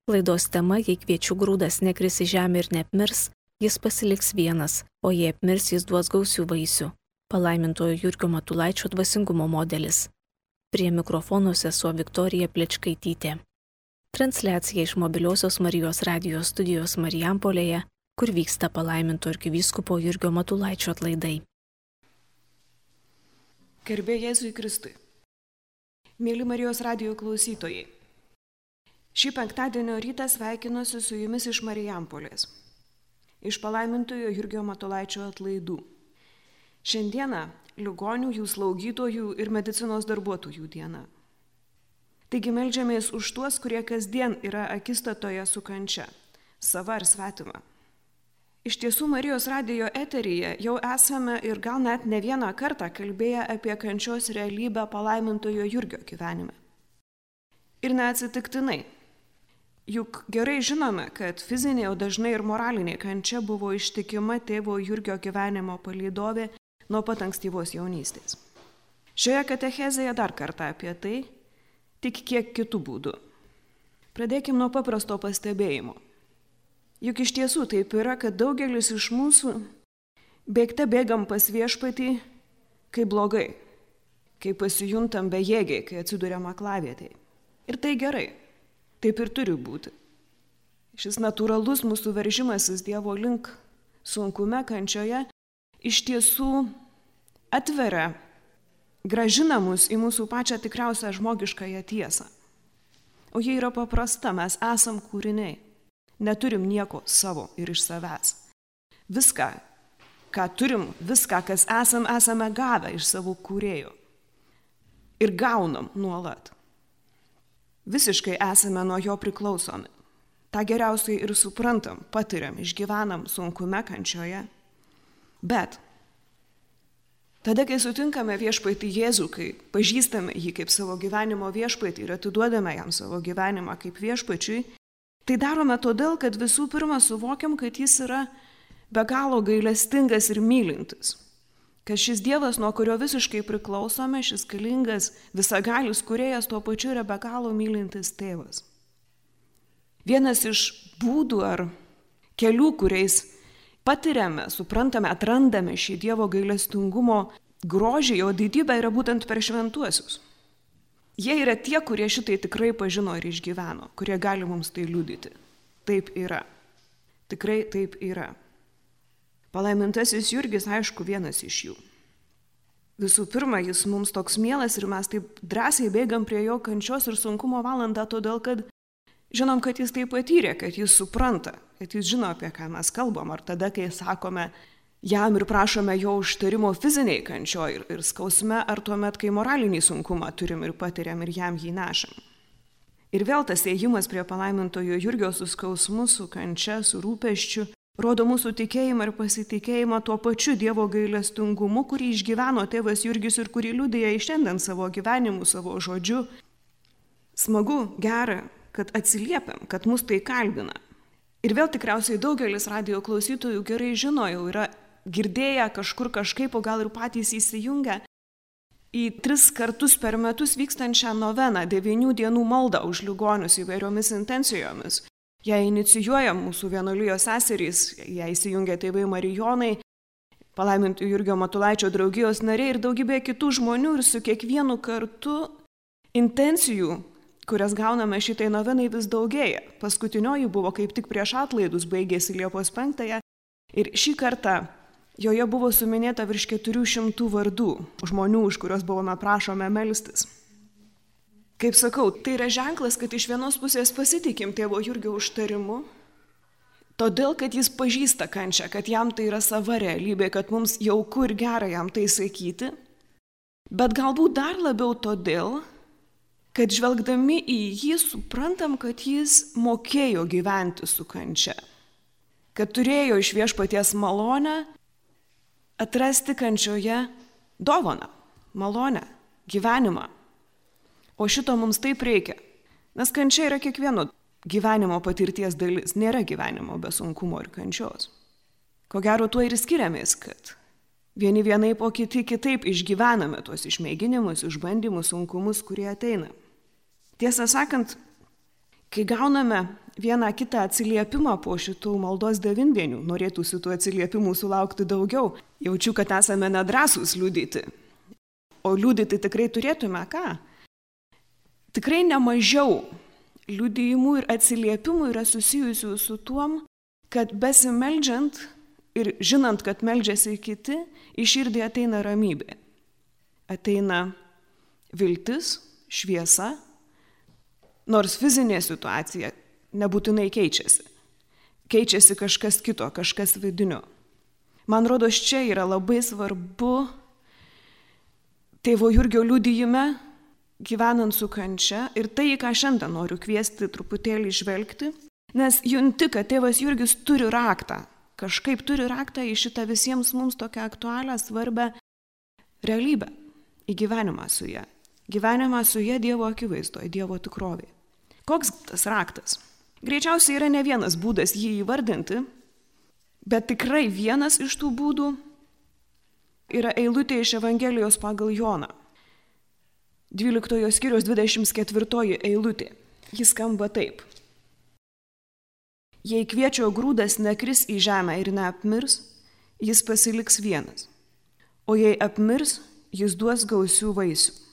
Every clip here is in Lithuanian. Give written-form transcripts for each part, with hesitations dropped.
Laidos tema: jei kviečių grūdas nekris į žemę ir neapmirs, jis pasiliks vienas, o jei apmirs, jis duos gausių vaisių. Palaimintojo Jurgio Matulaičio dvasingumo modelis. Prie mikrofono sesuo Viktorija Plečkaitytė. Transliacija iš Mobiliosios Marijos radijos studijos Marijampolėje, kur vyksta palaiminto arkivyskupo Jurgio Matulaičio atlaidai. Garbė Jėzui Kristui. Mėly Marijos radijo klausytojai. Šį penktadienio rytą sveikinuosi su jumis iš Marijampolės, iš palaimintojo Jurgio Matulaičio atlaidų. Šiandieną ligonių, jų slaugytojų ir medicinos darbuotojų diena. Taigi meldžiamės už tuos, kurie kasdien yra akistatoje su kančia, sava ar svetima. Iš tiesų, Marijos radijo eteryje jau esame ir gal net ne vieną kartą kalbėję apie kančios realybę palaimintojo Jurgio gyvenime. Ir neatsitiktinai. Juk gerai žinome, kad fizinė, o dažnai ir moralinė kančia buvo ištikima tėvo Jurgio gyvenimo palydovė nuo pat ankstyvos jaunystės. Šioje katechezėje dar kartą apie tai, tik kiek kitų būdų. Pradėkime nuo paprasto pastebėjimo. Juk iš tiesų taip yra, kad daugelis iš mūsų bėgte bėgam pas viešpatį, kai blogai, kai pasijuntam bejėgiai, kai atsiduriam aklavietėje. Ir tai gerai. Taip ir turi būti. Šis natūralus mūsų veržimasis Dievo link sunkume, kančioje, iš tiesų atveria, grąžina mus į mūsų pačią tikriausią žmogiškąją tiesą. O jie yra paprasta, mes esam kūriniai. Neturim nieko savo ir iš savęs. Viską, ką turim, viską, kas esame gavę iš savo kūrėjo. Ir gaunam nuolat. Visiškai esame nuo jo priklausomi. Ta geriausiai ir suprantam, patiriam, išgyvenam sunkume, kančioje. Bet tada, kai sutinkame viešpatį Jėzų, kai pažįstame jį kaip savo gyvenimo viešpatį ir atiduodame jam savo gyvenimą kaip viešpačiui, tai darome todėl, kad visų pirma suvokiam, kad jis yra be galo gailestingas ir mylintis. Kad šis Dievas, nuo kurio visiškai priklausome, šis galingas, visagalis kūrėjas, tuo pačiu yra be galo mylintis tėvas. Vienas iš būdų ar kelių, kuriais patiriame, suprantame, atrandame šį Dievo gailestingumo grožį, jo didybę, yra būtent per šventuosius. Jie yra tie, kurie šitai tikrai pažino ir išgyveno, kurie gali mums tai liudyti. Taip yra. Tikrai taip yra. Palaimintasis Jurgis, aišku, vienas iš jų. Visų pirma, jis mums toks mielas ir mes taip drąsiai bėgam prie jo kančios ir sunkumo valandą, todėl kad žinom, kad jis tai patyrė, kad jis supranta, kad jis žino, apie ką mes kalbam. Ar tada, kai sakome jam ir prašome jo užtarimo fiziniai kančioj ir skausme, ar tuomet, kai moralinį sunkumą turim ir patiriam ir jam jį nešam. Ir vėl tas ėjimas prie palaimintojo Jurgio su skausmu, su kančia, su rūpesčiu, rodo mūsų tikėjimą ir pasitikėjimą tuo pačiu Dievo gailestingumu, kurį išgyveno tėvas Jurgis ir kurį liudija į šiandien savo gyvenimu, savo žodžiu. Smagu, gera, kad atsiliepiam, kad mus tai kalbina. Ir vėl tikriausiai daugelis radijo klausytojų gerai žino, jau yra girdėję kažkur kažkaip, o gal ir patys įsijungę į 3 kartus per metus vykstančią noveną, 9 dienų maldą už ligonius įvairiomis intencijomis. Ją inicijuoja mūsų vienuolijos seserys, ją įsijungia tėvai Marijonai, palaimintojo Jurgio Matulaičio draugijos nariai ir daugybė kitų žmonių, ir su kiekvienu kartu intencijų, kurias gauname šitai novenai, vis daugėja. Paskutinioji buvo kaip tik prieš atlaidus, baigėsi Liepos 5 ir šį kartą joje buvo suminėta virš 400 vardų žmonių, už kuriuos buvome prašome melstis. Kaip sakau, tai yra ženklas, kad iš vienos pusės pasitikim tėvo Jurgio užtarimu, todėl, kad jis pažįsta kančią, kad jam tai yra sava realybė, kad mums jauku ir gera jam tai sakyti, bet galbūt dar labiau todėl, kad žvelgdami į jį suprantam, kad jis mokėjo gyventi su kančia, kad turėjo iš viešpaties malonę atrasti kančioje dovaną, malonę, gyvenimą. O šito mums taip reikia, nes kančia yra kiekvieno gyvenimo patirties dalis, nėra gyvenimo be sunkumo ir kančios. Ko gero tuo ir skiriamės, kad vieni vienaip, o kiti kitaip išgyvename tuos išmėginimus, išbandymus, sunkumus, kurie ateina. Tiesą sakant, kai gauname vieną kitą atsiliepimą po šitų maldos devindienių. Norėtųsi tų atsiliepimų sulaukti daugiau. Jaučiu, kad esame nedrąsūs liudyti. O liudyti tikrai turėtume ką? Tikrai nemažiau liudijimų ir atsiliepimų yra susijusių su tuom, kad besimeldžiant ir žinant, kad meldžiasi kiti, į širdį ateina ramybė. Ateina viltis, šviesa, nors fizinė situacija nebūtinai keičiasi. Keičiasi kažkas kito, kažkas vidinio. Man rodos, čia yra labai svarbu tėvo Jurgio liudijime, gyvenant su kančia, ir tai, ką šiandien noriu kviesti truputėlį žvelgti, nes junti, kad tėvas Jurgis turi raktą, kažkaip turi raktą į šitą visiems mums tokią aktualią, svarbę realybę, į gyvenimą su ja. Gyvenimą su ja Dievo akivaizdoje, Dievo tikrovėje. Koks tas raktas? Greičiausiai yra ne vienas būdas jį įvardinti, bet tikrai vienas iš tų būdų yra eilutė iš Evangelijos pagal Joną. 12 skyriaus 24 eilutė. Jis skamba taip. Jei kviečio grūdas nekris į žemę ir neapmirs, jis pasiliks vienas. O jei apmirs, jis duos gausių vaisių.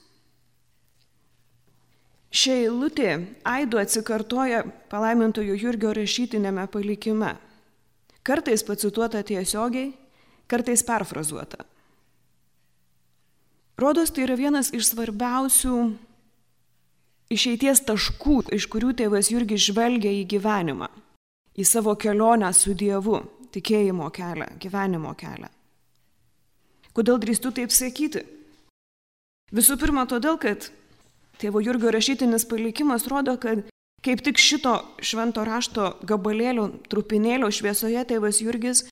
Ši eilutė aidu atsikartoja palaimintojo Jurgio rašytinėme palikime. Kartais pacituota tiesiogiai, kartais perfrazuota. Rodos, tai yra vienas iš svarbiausių išeities taškų, iš kurių tėvas Jurgis žvelgia į gyvenimą, į savo kelionę su Dievu, tikėjimo kelią, gyvenimo kelią. Kodėl drįstu taip sakyti? Visų pirma, todėl, kad tėvo Jurgio rašytinis palikimas rodo, kad kaip tik šito švento rašto gabalėlio, trupinėlio šviesoje tėvas Jurgis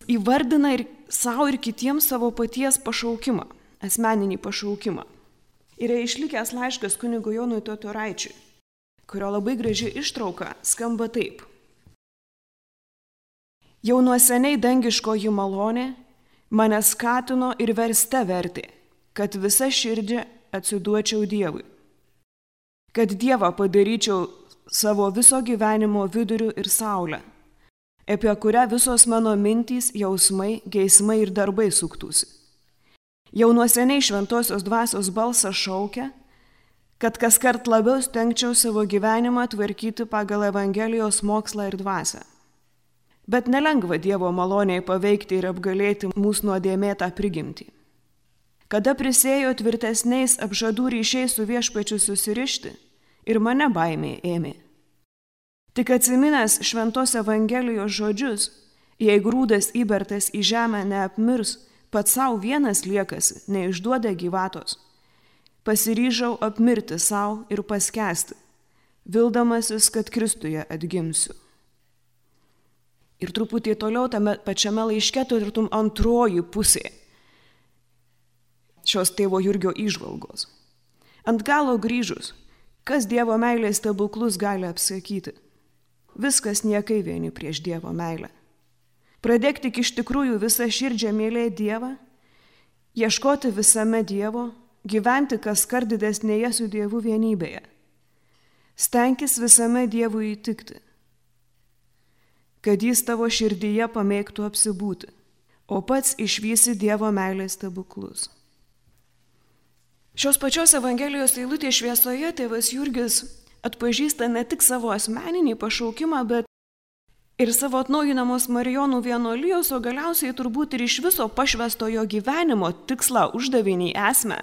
įvardina ir savo ir kitiems savo paties pašaukimą, asmeninį pašaukimą. Yra išlikęs laiškas kunigo Jonui Totoraičiui, kurio labai graži ištrauka skamba taip. Jau nuo seniai dangiškoji malonė mane skatino ir verste vertė, kad visa širdžia atsiduočiau Dievui, kad Dievą padaryčiau savo viso gyvenimo viduriu ir saulę, apie kurią visos mano mintys, jausmai, geismai ir darbai suktųsi. Jau nuo seniai šventosios dvasios balsas šaukia, kad kaskart labiau stengčiau savo gyvenimą tvarkyti pagal Evangelijos mokslą ir dvasią. Bet nelengva Dievo maloniai paveikti ir apgalėti mūsų nuodėmėtą prigimtį. Kada prisėjo tvirtesniais apžadų ryšiais su viešpačiu susirišti, ir mane baimė ėmė. Tik atsiminęs šventos Evangelijos žodžius, jei grūdas įbertas į žemę neapmirs, pats savo vienas liekasi, neišduoda gyvatos. Pasiryžau apmirti savo ir paskęsti, vildamasis, kad Kristuje atgimsiu. Ir truputį toliau tame pačiame laiške turėtum antroji pusė šios tėvo Jurgio įžvalgos. Ant galo grįžus, kas Dievo meilės stebuklus gali apsakyti? Viskas niekai vieni prieš Dievo meilę. Pradėk tik iš tikrųjų visą širdžią mylėti Dievą, ieškoti visame Dievo, gyventi kaskart didesnėje su Dievu vienybėje. Stenkis visame Dievui įtikti, kad jis tavo širdyje pamėgtų apsibūti, o pats išvysi Dievo meilės stebuklus. Šios pačios Evangelijos eilutės šviesoje tėvas Jurgis atpažįsta ne tik savo asmeninį pašaukimą, bet ir savo atnaujinamos Marijonų vienuolijos, o galiausiai turbūt ir iš viso pašvęstojo gyvenimo tikslą, uždavinį, esmę.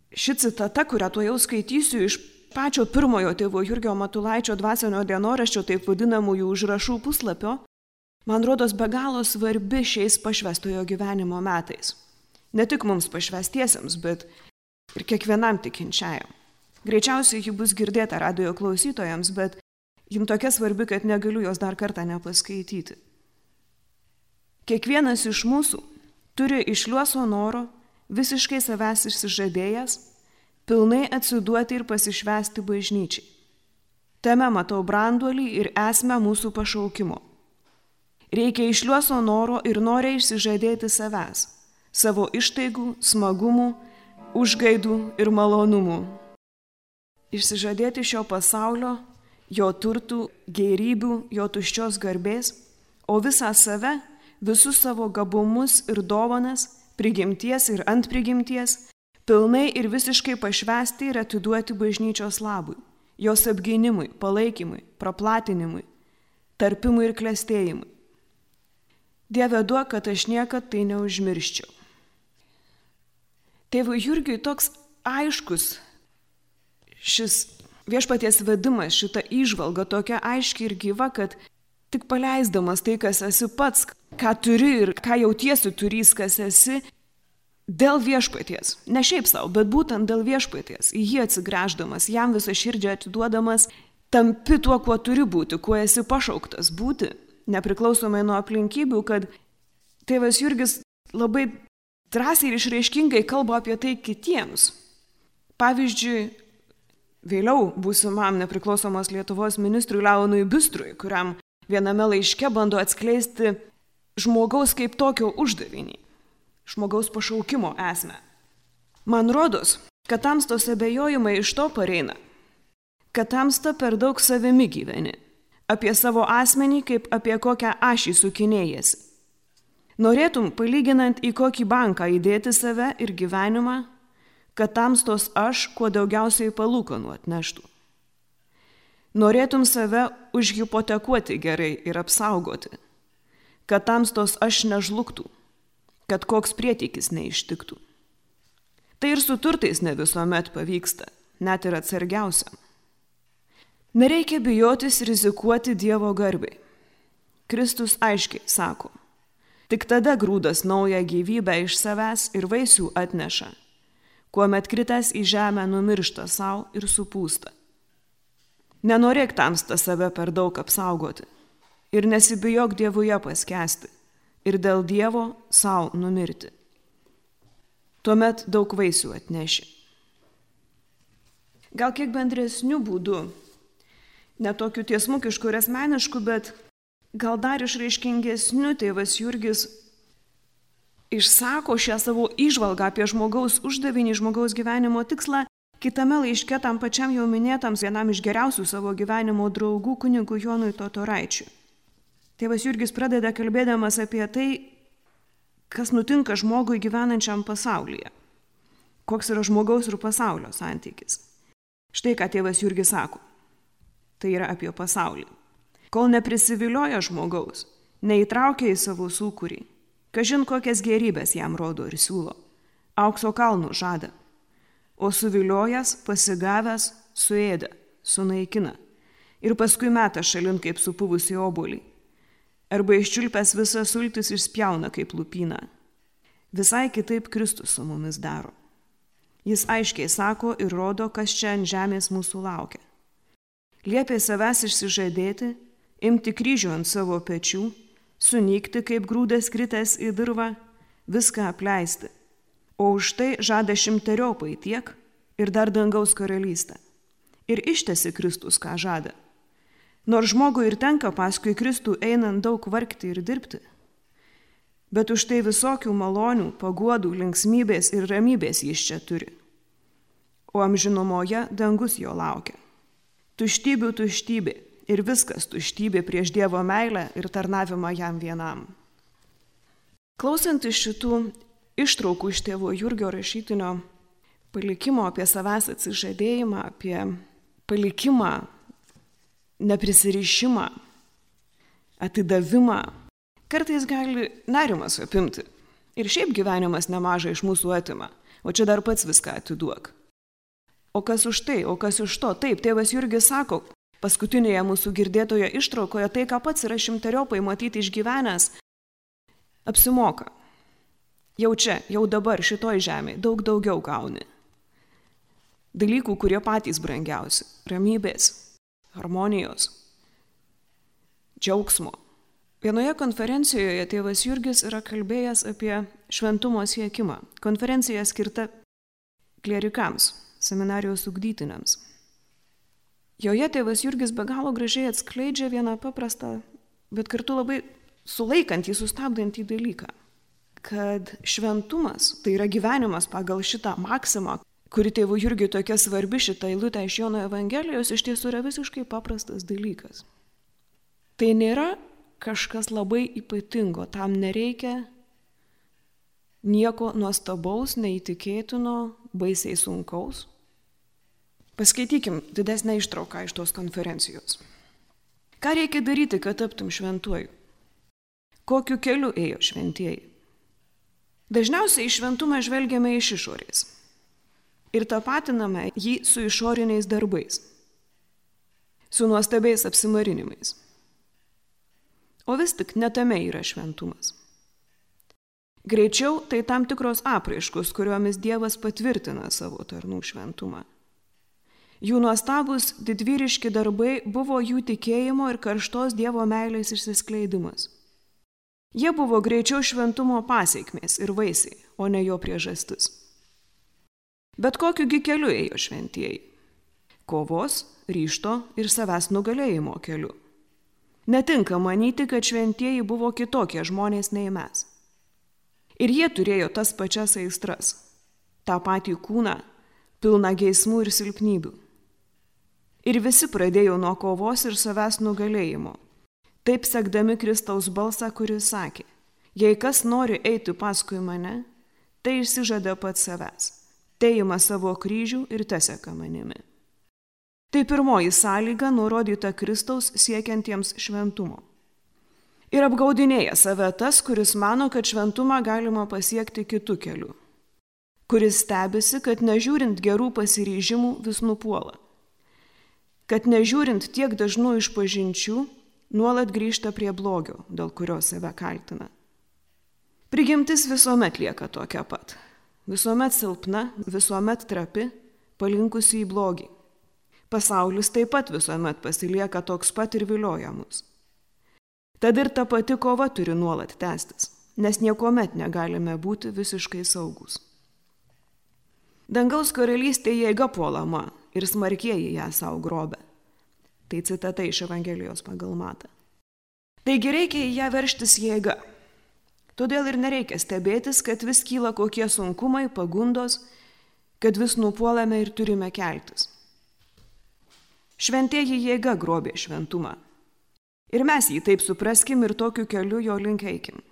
Ši citata, kurią tuojau skaitysiu iš pačio pirmojo tėvo Jurgio Matulaičio dvasinio dienoraščio, taip vadinamųjų užrašų puslapio, man rodos be galo svarbi šiais pašvęstojo gyvenimo metais. Ne tik mums pašvęstiesiems, bet ir kiekvienam tikinčiajam. Greičiausiai ji bus girdėta radijo klausytojams, bet jim tokia svarbi, kad negaliu jos dar kartą nepaskaityti. Kiekvienas iš mūsų turi išliuoso noro, visiškai savęs išsižadėjęs, pilnai atsiduoti ir pasišvęsti bažnyčiai. Tame matau branduolį ir esmę mūsų pašaukimo. Reikia išliuoso noro ir noriai išsižadėti savęs, savo ištaigų, smagumų, užgaidų ir malonumų. Išsižadėti šio pasaulio jo turtų, gėrybių, jo tuščios garbės, o visą save, visus savo gabumus ir dovanas, prigimties ir ant prigimties, pilnai ir visiškai pašvęsti ir atiduoti bažnyčios labui, jos apgynimui, palaikymui, praplatinimui, tarpimui ir klestėjimui. Dieve duok, kad aš niekad tai neužmirščiau. Tėvui Jurgiui toks aiškus šis viešpaties vedimas, šita įžvalga tokia aiški ir gyva, kad tik paleisdamas tai, kas esi pats, ką turi ir ką jautiesi turys, kas esi, dėl viešpaties, ne šiaip savo, bet būtent dėl viešpaties, į jį atsigręždamas, jam visą širdžią atiduodamas, tampi tuo, kuo turi būti, kuo esi pašauktas būti, nepriklausomai nuo aplinkybių, kad tėvas Jurgis labai drąsiai ir išraiškingai kalba apie tai kitiems. Pavyzdžiui, vėliau būsimam nepriklausomos Lietuvos ministrui Leonui Bistrui, kuriam viename laiške bando atskleisti žmogaus kaip tokio uždavinį, žmogaus pašaukimo esmę. Man rodos, kad tamstos abejojimai iš to pareina, kad tamsta per daug savimi gyveni, apie savo asmenį kaip apie kokią ašį sukinėjasi. Norėtum, palyginant į kokį banką įdėti save ir gyvenimą, kad tamstos aš kuo daugiausiai palūkanų atneštų. Norėtum save užhipotekuoti gerai ir apsaugoti, kad tamstos aš nežlugtų, kad koks prietykis neištiktų. Tai ir su turtais ne visuomet pavyksta, net ir atsargiausiam. Nereikia bijotis rizikuoti Dievo garbei. Kristus aiškiai sako, tik tada grūdas naują gyvybę iš savęs ir vaisių atneša, kuomet kritęs į žemę numiršta savo ir supūsta. Nenorėk tamsta save per daug apsaugoti ir nesibijok Dievuje paskęsti ir dėl Dievo savo numirti. Tuomet daug vaisių atneši. Gal kiek bendresnių būdų, netokių tiesmukiškų ir asmeniškų, bet gal dar išraiškingesnių tėvas Jurgis išsako šią savo įžvalgą apie žmogaus uždavinį, žmogaus gyvenimo tikslą, kitame laiške tam pačiam jau minėtams vienam iš geriausių savo gyvenimo draugų kunigui Jonui Totoraičiui. Tėvas Jurgis pradeda kalbėdamas apie tai, kas nutinka žmogui gyvenančiam pasaulyje. Koks yra žmogaus ir pasaulio santykis. Štai ką tėvas Jurgis sako. Tai yra apie pasaulį. Kol neprisivilioja žmogaus, neįtraukia į savo sūkurį, kažin kokias gėrybės jam rodo ir siūlo, aukso kalnų žada, o suviliojęs, pasigavęs, suėda, sunaikina ir paskui meta šalin kaip supuvusi obuolį, arba iščiulpęs visas sultis išspjauna kaip lupyną. Visai kitaip Kristus su mumis daro. Jis aiškiai sako ir rodo, kas čia ant žemės mūsų laukia. Liepė savęs išsižadėti, imti kryžių ant savo pečių, sunykti kaip grūdas kritęs į dirvą, viską apleisti, o už tai žada 100-eriopai tiek ir dar dangaus karalystę. Ir ištesi Kristus, ką žada. Nors žmogui ir tenka paskui Kristų einant daug vargti ir dirbti, bet už tai visokių malonių, paguodų, linksmybės ir ramybės jis čia turi. O amžinumoje dangus jo laukia. Tuštybių tuštybė ir viskas tuštybė prieš Dievo meilę ir tarnavimą jam vienam. Klausant iš šitų ištraukų iš tėvo Jurgio rašytinio palikimo apie savęs atsižadėjimą, apie palikimą, neprisirišimą, atidavimą, kartais gali nerimas apimti. Ir šiaip gyvenimas nemažai iš mūsų atima, o čia dar pats viską atiduok. O kas už tai, o kas už to? Taip, tėvas Jurgis sako, paskutinėje mūsų girdėtoje ištraukoje, tai, ką pats yra 100-eriopai matyti išgyvenęs, apsimoka. Jau čia, jau dabar šitoj žemėje daug daugiau gauni. Dalykų, kurie patys brangiausi – ramybės, harmonijos, džiaugsmo. Vienoje konferencijoje tėvas Jurgis yra kalbėjęs apie šventumo siekimą. Konferencija skirta klierikams, seminarijos ugdytiniams. Joje tėvas Jurgis be galo gražiai atskleidžia vieną paprastą, bet kartu labai sulaikantį, sustabdantį dalyką, kad šventumas, tai yra gyvenimas pagal šitą maksimą, kuri tėvui Jurgiui tokia svarbi šitą eilutę iš Jono Evangelijos, iš tiesų yra visiškai paprastas dalykas. Tai nėra kažkas labai ypatingo, tam nereikia nieko nuostabaus, neįtikėtino, baisiai sunkaus. Paskaitykim didesnę ištrauką iš tos konferencijos. Ką reikia daryti, kad taptum šventuoju? Kokiu keliu ėjo šventieji? Dažniausiai į šventumą žvelgiame iš išorės ir tapatiname jį su išoriniais darbais, su nuostabiais apsimarinimais. O vis tik ne tame yra šventumas. Greičiau tai tam tikros apraiškos, kuriomis Dievas patvirtina savo tarnų šventumą. Jų nuostabus didvyriški darbai buvo jų tikėjimo ir karštos Dievo meilės išsiskleidimas. Jie buvo greičiau šventumo pasekmės ir vaisiai, o ne jo priežastis. Bet kokiugi keliu ėjo šventieji? Kovos, ryžto ir savęs nugalėjimo keliu. Netinka manyti, kad šventieji buvo kitokie žmonės nei mes. Ir jie turėjo tas pačias aistras, tą patį kūną, pilną geismų ir silpnybių. Ir visi pradėjo nuo kovos ir savęs nugalėjimo, taip sekdami Kristaus balsą, kuris sakė, jei kas nori eiti paskui mane, tai išsižada pats savęs, tai ima savo kryžių ir teseka manimi. Tai pirmoji sąlyga nurodyta Kristaus siekiantiems šventumo. Ir apgaudinėja save tas, kuris mano, kad šventumą galima pasiekti kitu keliu, kuris stebisi, kad nežiūrint gerų pasiryžimų vis nupuola, kad nežiūrint tiek dažnų išpažinčių, nuolat grįžta prie blogio, dėl kurio save kaltina. Prigimtis visuomet lieka tokia pat, visuomet silpna, visuomet trapi, palinkusi į blogį. Pasaulis taip pat visuomet pasilieka toks pat ir vilioja mus. Tad ir ta pati kova turi nuolat tęstis, nes niekuomet negalime būti visiškai saugus. Dangaus karalystė jėga puolama ir smarkieji ją savo grobia. Tai citata iš Evangelijos pagal Matą. Taigi reikia į ją veržtis jėga. Todėl ir nereikia stebėtis, kad vis kyla kokie sunkumai, pagundos, kad vis nupuolame ir turime keltis. Šventieji jėga grobė šventumą. Ir mes jį taip supraskim ir tokiu keliu jo link eikim.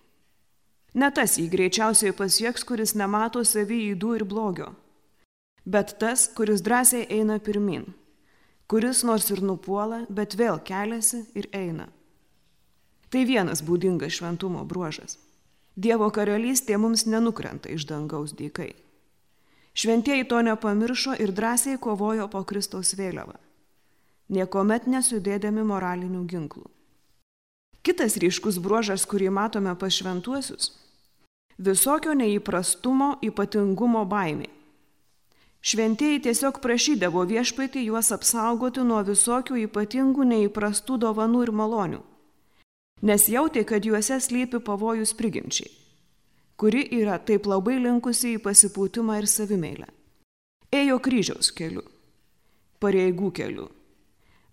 Ne tas jį greičiausiai pasieks, kuris nemato savy ydų ir blogio, bet tas, kuris drąsiai eina pirmin, kuris nors ir nupuola, bet vėl keliasi ir eina. Tai vienas būdingas šventumo bruožas. Dievo karalystė mums nenukrenta iš dangaus dykai. Šventieji to nepamiršo ir drąsiai kovojo po Kristaus vėliavą, niekuomet nesudėdami moralinių ginklų. Kitas ryškus bruožas, kurį matome pas šventuosius – visokio neįprastumo, ypatingumo baimė. Šventieji tiesiog prašydavo viešpatį juos apsaugoti nuo visokių ypatingų neįprastų dovanų ir malonių, nes jautė, kad juose slypi pavojus prigimčiai, kuri yra taip labai linkusi į pasipūtimą ir savimeilę. Ėjo kryžiaus keliu, pareigų keliu.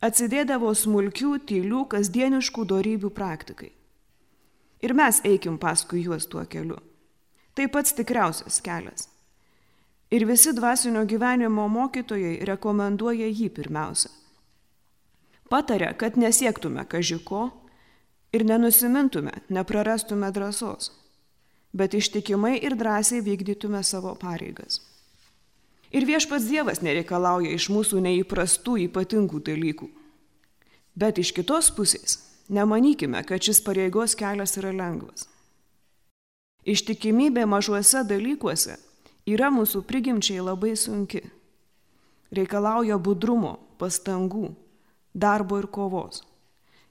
Atsidėdavo smulkių, tylių, kasdieniškų dorybių praktikai. Ir mes eikim paskui juos tuo keliu. Tai pats tikriausias kelias. Ir visi dvasinio gyvenimo mokytojai rekomenduoja jį pirmiausia. Pataria, kad nesiektume kažiko ir nenusimintume, neprarastume drąsos, bet ištikimai ir drąsiai vykdytume savo pareigas. Ir viešpats Dievas nereikalauja iš mūsų neįprastų ypatingų dalykų. Bet iš kitos pusės nemanykime, kad šis pareigos kelias yra lengvas. Ištikimybė mažuose dalykuose yra mūsų prigimčiai labai sunki. Reikalauja budrumo, pastangų, darbo ir kovos.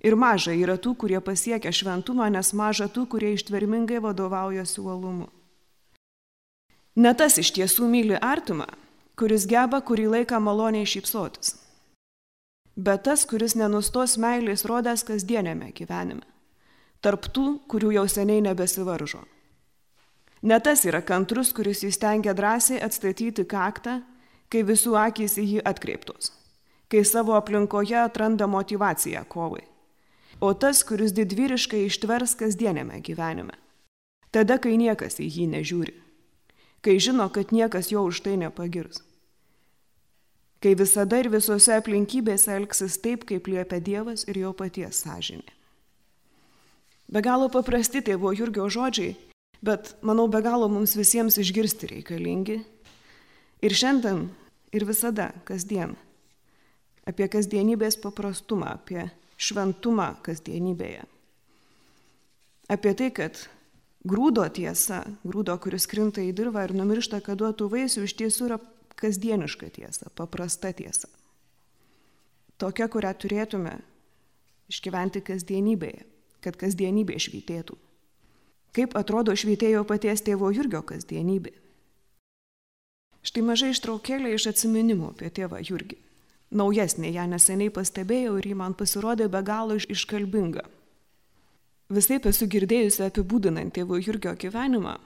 Ir maža yra tų, kurie pasiekia šventumą, nes maža tų, kurie ištvermingai vadovaujasi uolumu. Ne tas iš tiesų myli artimą, kuris geba kurį laiką maloniai šypsotis, bet tas, kuris nenustos meilės rodęs kasdienėme gyvenime, tarp tų, kurių jau seniai nebesivaržo. Ne tas yra kantrus, kuris įstengia drąsiai atstatyti kaktą, kai visų akys į jį atkreiptos, kai savo aplinkoje atranda motyvaciją kovai, o tas, kuris didvyriškai ištvers kasdienėme gyvenime, tada, kai niekas į jį nežiūri, kai žino, kad niekas jo už tai nepagirs. kai visada ir visose aplinkybėse elgsis taip, kaip liepia Dievas ir jo paties sąžinė. Be galo paprasti tėvo Jurgio žodžiai, bet manau be galo mums visiems išgirsti reikalingi. Ir šiandien, ir visada, kasdien. Apie kasdienybės paprastumą, apie šventumą kasdienybėje. Apie tai, kad grūdo tiesa, grūdo, kuris krinta į dirvą ir numiršta, kad duotų vaisių, iš tiesų yra kasdieniška tiesa, paprasta tiesa. Tokia, kurią turėtume išgyventi kasdienybėje, kad kasdienybė švytėtų. Kaip atrodo švytėjo paties tėvo Jurgio kasdienybė? Štai mažai ištraukėlė iš atsiminimų apie tėvą Jurgį. Naujesnė, ją neseniai pastebėjau ir ji man pasirodė be galo iškalbinga. Visaip esu girdėjusi apibūdinant tėvo Jurgio gyvenimą,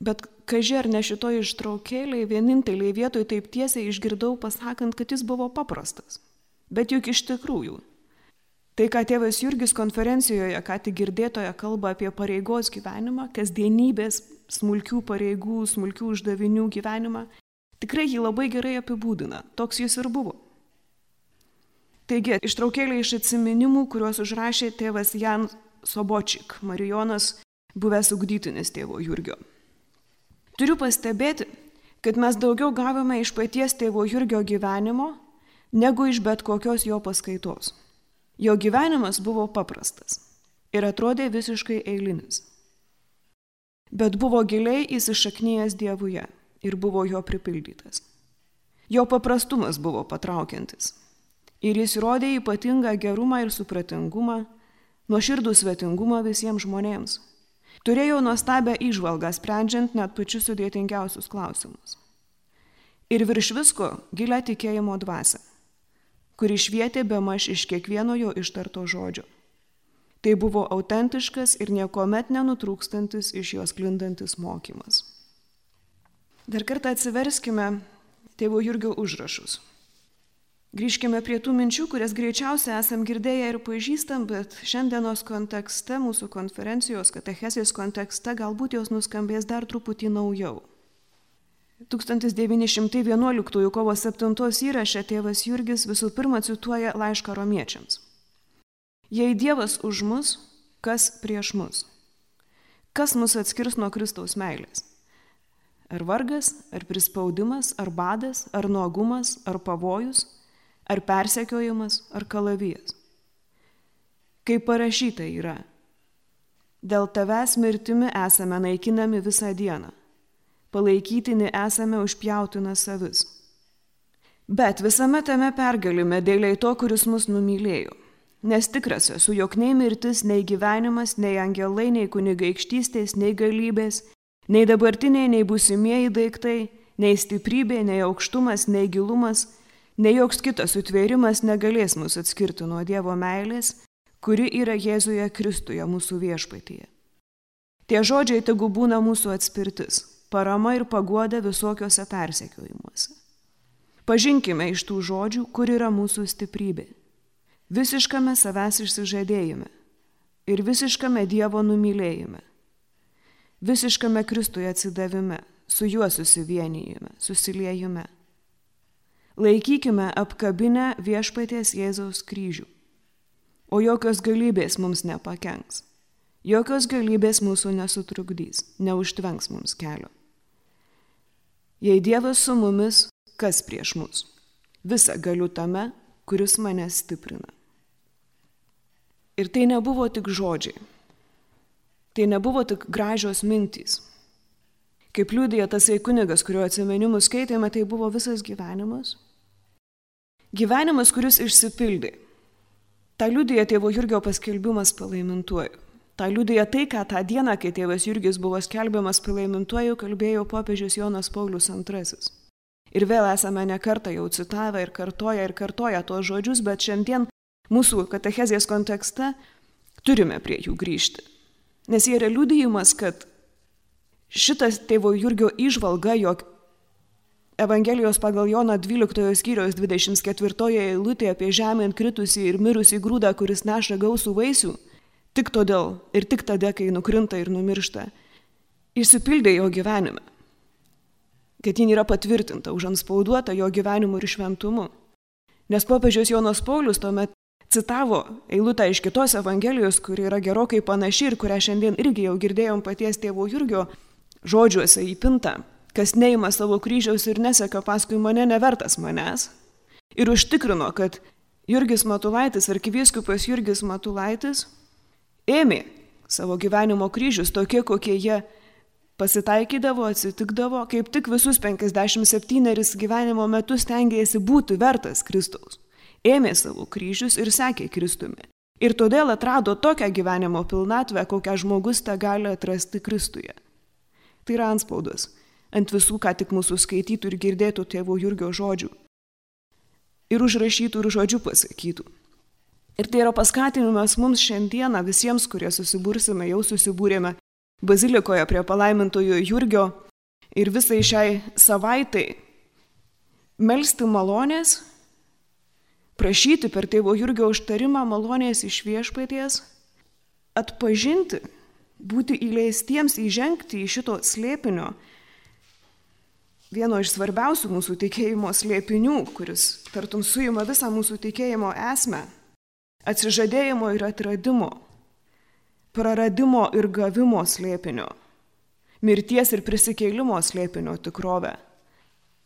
bet kaži ar ne šitoj ištraukėlėj vieninteliai vietoj taip tiesiai išgirdau pasakant, kad jis buvo paprastas. Bet juk iš tikrųjų. Tai, ką tėvas Jurgis konferencijoje, ką tik girdėtoje kalba apie pareigos gyvenimą, kasdienybės, smulkių pareigų, smulkių uždavinių gyvenimą, tikrai jį labai gerai apibūdina. Toks jis ir buvo. Taigi, ištraukėlė iš atsiminimų, kuriuos užrašė tėvas Jan Sobočik, marijonas, buvęs ugdytinis tėvo Jurgio. Turiu pastebėti, kad mes daugiau gavome iš paties tėvo Jurgio gyvenimo, negu iš bet kokios jo paskaitos. Jo gyvenimas buvo paprastas ir atrodė visiškai eilinis. Bet buvo giliai įsišaknyjęs Dievuje ir buvo jo pripildytas. Jo paprastumas buvo patraukiantis. Ir jis rodė ypatingą gerumą ir supratingumą, nuoširdų svetingumą visiems žmonėms. Turėjo nuostabią įžvalgą, sprendžiant net pačius sudėtingiausius klausimus. Ir virš visko gilią tikėjimo dvasią, kuri švietė bemaž iš kiekvieno jo ištarto žodžio. Tai buvo autentiškas ir niekuomet nenutrūkstantis iš jos sklindantis mokymas. Dar kartą atsiverskime tėvo Jurgio užrašus. Grįžkime prie tų minčių, kurias greičiausiai esam girdėję ir pažįstam, bet šiandienos kontekste, mūsų konferencijos katechezės kontekste, galbūt jos nuskambės dar truputį naujau. 1911 kovo 7 įraše tėvas Jurgis visų pirma cituoja laišką romiečiams. Jei Dievas už mus, kas prieš mus? Kas mus atskirs nuo Kristaus meilės? Ar vargas, ar prispaudimas, ar badas, ar nuogumas, ar pavojus, ar persekiojimas, ar kalavijas? Kaip parašyta yra, dėl tavęs mirtimi esame naikinami visą dieną, palaikytini esame užpjautina savis. Bet visame tame pergalime dėliai to, kuris mus numylėjo. Nes tikras esu, jog nei mirtis, nei gyvenimas, nei angelai, nei kunigaikštystės, nei galybės, nei dabartiniai, nei būsimieji daiktai, nei stiprybė, nei aukštumas, nei gilumas, nei joks kitas sutvėrimas negalės mus atskirti nuo Dievo meilės, kuri yra Jėzuje Kristuje mūsų viešpatyje. Tie žodžiai tegu būna mūsų atspirtis, parama ir paguoda visokiuose persekiojimuose. Pažinkime iš tų žodžių, kur yra mūsų stiprybė. Visiškame savęs išsižadėjime ir visiškame Dievo numylėjime. Visiškame Kristuje atsidavime, su juo susivienijime, susiliejime. Laikykime apkabinę viešpaties Jėzaus kryžių, o jokios galybės mums nepakenks, jokios galybės mūsų nesutrukdys, neužtvenks mums kelio. Jei Dievas su mumis, kas prieš mus? Visa galiu tame, kuris mane stiprina. Ir tai nebuvo tik žodžiai, tai nebuvo tik gražios mintys. Kaip liudija tasai kunigas, kurio atsiminimus skaitėme, tai buvo visas gyvenimas. Gyvenimas, kuris išsipildė. Ta liudija tėvo Jurgio paskelbimas palaimintuoju. Ta liudija tai, ką tą dieną, kai tėvas Jurgis buvo skelbiamas palaimintuoju, kalbėjo popiežius Jonas Paulius II. Ir vėl esame ne kartą jau citavę ir kartoja tuos žodžius, bet šiandien mūsų katechezės kontekste turime prie jų grįžti. Nes jie yra liudijimas, kad šitas tėvo Jurgio įžvalga, jog Evangelijos pagal Joną 12 skyriaus 24 eilutė apie žemėn kritusį ir mirusį grūdą, kuris neša gausų vaisių, tik todėl ir tik tada, kai nukrinta ir numiršta, išsipildė jo gyvenime. kad ji yra patvirtinta, užantspauduota jo gyvenimu ir šventumu. Nes popiežius Jonas Paulius tuomet citavo eilutę iš kitos Evangelijos, kuri yra gerokai panaši ir kurią šiandien irgi jau girdėjom paties tėvo Jurgio žodžiuose įpinta. Kas neima savo kryžiaus ir neseka paskui mane, nevertas manęs. Ir užtikrino, kad Jurgis Matulaitis, arkivyskupas Jurgis Matulaitis, ėmė savo gyvenimo kryžius tokie, kokie jie pasitaikydavo, atsitikdavo, kaip tik visus 57 gyvenimo metus stengiasi būti vertas Kristaus. Ėmė savo kryžius ir sekė Kristumi. Ir todėl atrado tokią gyvenimo pilnatvę, kokią žmogus tą gali atrasti Kristuje. Tai yra antspaudas ant visų, ką tik mūsų skaitytų ir girdėtų tėvo Jurgio žodžių. Ir užrašytų ir žodžių pasakytų. Ir tai yra paskatinimas mums šiandieną visiems, kurie susibursime, jau susibūrėme bazilikoje prie palaimintojo Jurgio ir visai šiai savaitai melsti malonės, prašyti per tėvo Jurgio užtarimą malonės iš viešpaties, atpažinti, būti įleistiems įžengti į šito slėpinio, vieno iš svarbiausių mūsų tikėjimo slėpinių, kuris tartum suima visą mūsų tikėjimo esmę, atsižadėjimo ir atradimo, praradimo ir gavimo slėpinio, mirties ir prisikėlimo slėpinio tikrovę,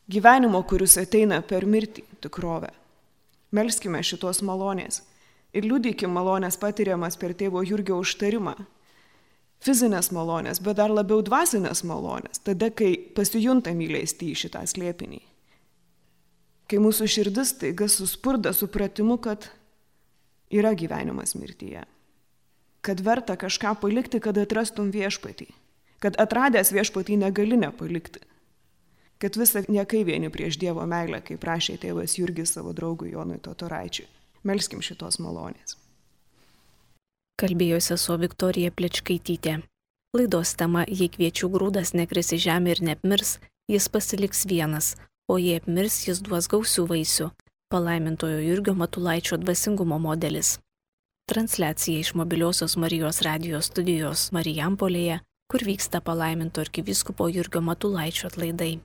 gyvenimo, kuris ateina per mirtį tikrovę. Melskime šitos malonės ir liudykim malonės patiriamas per tėvo Jurgio užtarimą. Fizinės malonės, bet dar labiau dvasinės malonės, tada, kai pasijuntam įleisti į šitą slėpinį. Kai mūsų širdis taiga suspurda supratimu, kad yra gyvenimas mirtyje. Kad verta kažką palikti, kad atrastum viešpatį. Kad atradęs viešpatį negali nepalikti. Kad visa niekai vieni prieš Dievo meilę, kaip prašė tėvas Jurgis savo draugui Jonui Totoraičiui. Melskim šitos malonės. Kalbėjo sesuo Viktorija Plečkaitytė. Laidos tema "Jei kviečių grūdas nekris į žemę ir neapmirs, jis pasiliks vienas, o jei apmirs, jis duos gausių vaisių." Palaimintojo Jurgio Matulaičio dvasingumo modelis. Transliacija iš Mobiliosios Marijos radijos studijos Marijampolėje, kur vyksta palaiminto arkivyskupo Jurgio Matulaičio atlaidai.